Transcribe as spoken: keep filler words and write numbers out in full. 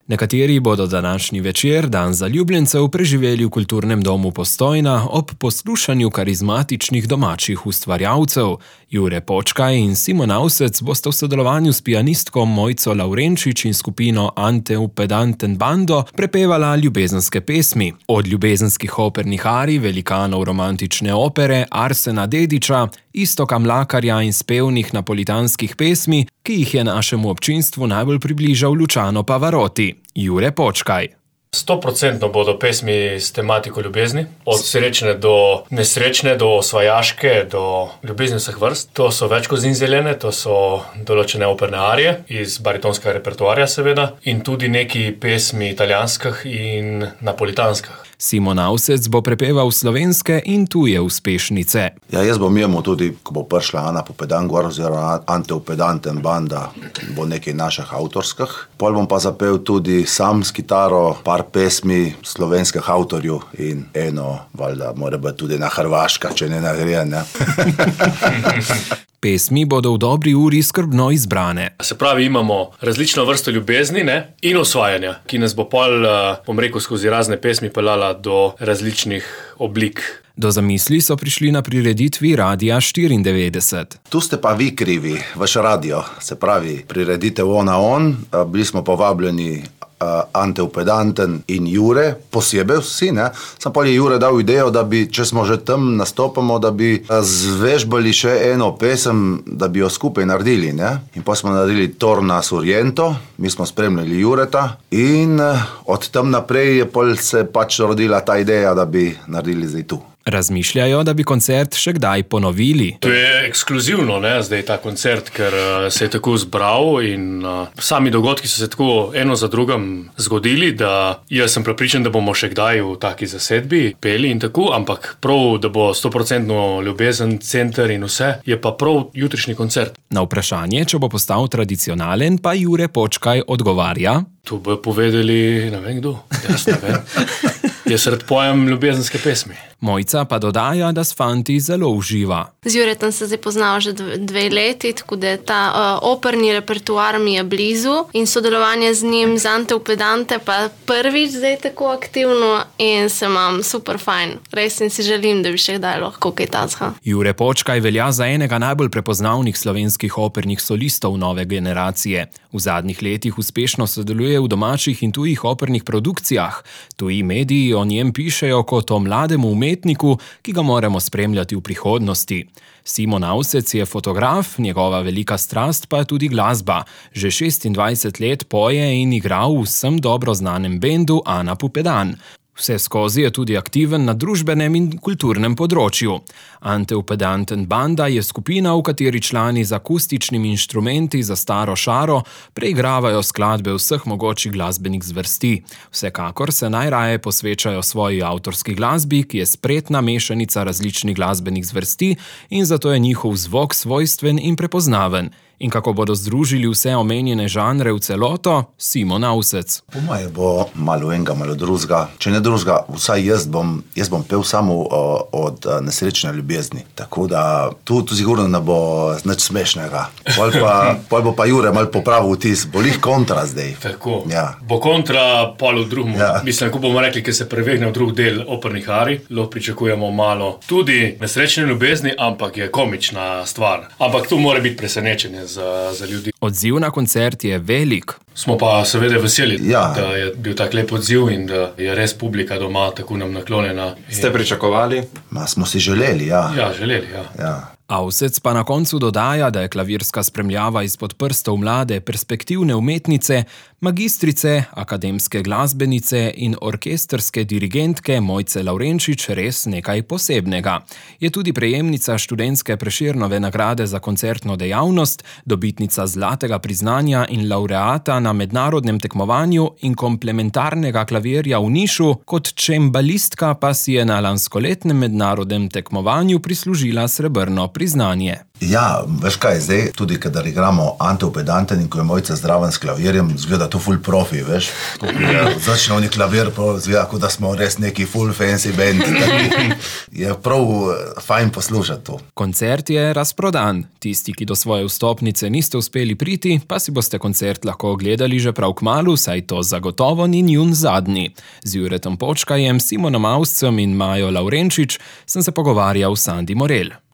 Nekateri bodo današnji večer, dan zaljubljencev, preživeli v kulturnem domu Postojna ob poslušanju karizmatičnih domačih ustvarjalcev. Jure Počkaj in Simon Avsec bosta v sodelovanju s pianistko Mojco Lavrenčič in skupino Antev Pedanten Bando prepevala ljubezenske pesmi. Od ljubezenskih opernih arij, velikanov romantične opere Arsena Dedića, Iztoka Mlakarja in spevnih napolitanskih pesmi, ki jih je našemu občinstvu najbolj približal Luciano Pavarotti. Jure Počkaj. sto procentno bodo pesmi s tematiko ljubezni, od srečne do nesrečne, do osvajaške, do ljubezni vseh vrst. To so več kot zinzelene, to so določene operne arije iz baritonskega repertoarja seveda in tudi neki pesmi italijanskih in napolitanskih. Simon Avsec bo prepeval slovenske in tuje uspešnice. Ja, jaz bom imel tudi, ko bo prišla Ana Pupedan gor, oziroma Antev Pedanten Banda, bo nekaj naših avtorskih. Pol bom pa zapel tudi sam s kitaro par pesmi slovenskih avtorjev in eno, valjda, mora biti tudi na hrvaška, če ne nagreje, ne? Pesmi bodo v dobri uri skrbno izbrane. Se pravi, imamo različno vrsto ljubezni, ne, in osvajanja, ki nas bo pol, bom rekel, skozi razne pesmi pelala do različnih oblik. Do zamisli so prišli na prireditvi Radia štiriindevetdeset. Tu ste pa vi krivi, vaš radio, se pravi, prireditev On a On, bili smo povabljeni Antev Pedanten in Jure, posebej vsi, ne. Sam pa je Jure dal idejo, da bi, če smo že tam nastopamo, da bi zvežbali še eno pesem, da bi jo skupaj naredili, ne. In pa smo naredili Torna Surjento, mi smo spremljali Jureta in od tam naprej je pol se pač rodila ta ideja, da bi naredili zdaj tu. Razmišljajo, da bi koncert še kdaj ponovili. To je ekskluzivno, ne, zdaj ta koncert, ker uh, se je tako zbral in uh, sami dogodki so se tako eno za drugim zgodili, da jaz sem prepričan, da bomo še kdaj v taki zasedbi peli in tako, ampak prav, da bo sto procentno ljubezen, center in vse, je pa prav jutrišnji koncert. Na vprašanje, če bo postal tradicionalen, pa Jure Počkaj odgovarja. To bo povedali, ne vem kdo, jaz ne vem. Jaz rad pojem ljubezenske pesmi. Mojca pa dodaja, da s fanti zelo uživa. Z Juretom se zdaj poznava že dve, dve leti, tako da ta uh, operni repertoar mi je blizu in sodelovanje z njim, z Antev Pedante, pa prvič zdaj tako aktivno in se imam super fajn. Res in si želim, da bi še kdaj lahko kaj tazga. Jure Počkaj velja za enega najbolj prepoznavnih slovenskih opernih solistov nove generacije. V zadnjih letih uspešno sodeluje v domačih in tujih opernih produkcijah. Tuji mediji o njem pišejo kot o mlademu umetniku, ki ga moramo spremljati v prihodnosti. Simon Avsec je fotograf, njegova velika strast pa je tudi glasba. Že šestindvajset let poje in igra v vsem dobro znanem bendu Ana Pupedan. Vse skozi je tudi aktiven na družbenem in kulturnem področju. Antev Pedanten Banda je skupina, v kateri člani z akustičnimi inštrumenti za staro šaro preigravajo skladbe vseh mogočih glasbenih zvrsti. Vsekakor se najraje posvečajo svoji avtorski glasbi, ki je spretna mešanica različnih glasbenih zvrsti in zato je njihov zvok svojstven in prepoznaven. In kako bodo združili vse omenjene žanre v celoto, Simon Avsec. Po moje bo malo enega, malo drugega. Če ne drugega, vsaj jaz bom, jaz bom pel samo uh, od uh, nesrečne ljubezni. Tako da tu, tu sigurno ne bo nič smešnega. Pol, pa, pol bo pa Jure malo popravil vtis, bo lih kontra zdaj. Tako, ja. Bo kontra pol v drugem. Ja. Mislim, ko bomo rekli, ker se prevegne v drug del opernih arij, lahko pričakujemo malo tudi nesrečne ljubezni, ampak je komična stvar. Ampak tu mora biti presenečenje Za, za ljudi. Odziv na koncert je velik. Smo pa seveda veseli, ja. Da je bil tak lep odziv in da je res publika doma tako nam naklonjena. Ste pričakovali? Ma smo si želeli, ja. Ja, želeli, ja. ja. Avsec pa na koncu dodaja, da je klavirska spremljava izpod prstov mlade perspektivne umetnice, magistrice, akademske glasbenice in orkestrske dirigentke Mojce Lavrenčič res nekaj posebnega. Je tudi prejemnica študentske Prešernove nagrade za koncertno dejavnost, dobitnica zlatega priznanja in laureata na mednarodnem tekmovanju in komplementarnega klavirja v Nišu, kot čembalistka pa si je na lanskoletnem mednarodnem tekmovanju prislužila srebrno priznanje. Ja, veš kaj, zdaj tudi, kadar igramo Ante Upedanten in ko je Mojca zdraven s klavirjem, zgleda to full profi, veš. Začne oni klavir, zgleda, kot da smo res neki full fancy band. Je prav fajn poslušati to. Koncert je razprodan. Tisti, ki do svoje vstopnice niste uspeli priti, pa si boste koncert lahko ogledali že prav kmalu, saj to zagotovo ni njun zadnji. Z Juretom Počkajem, Simonom Auscem in Majo Lavrenčič sem se pogovarjal s Sandi Morel.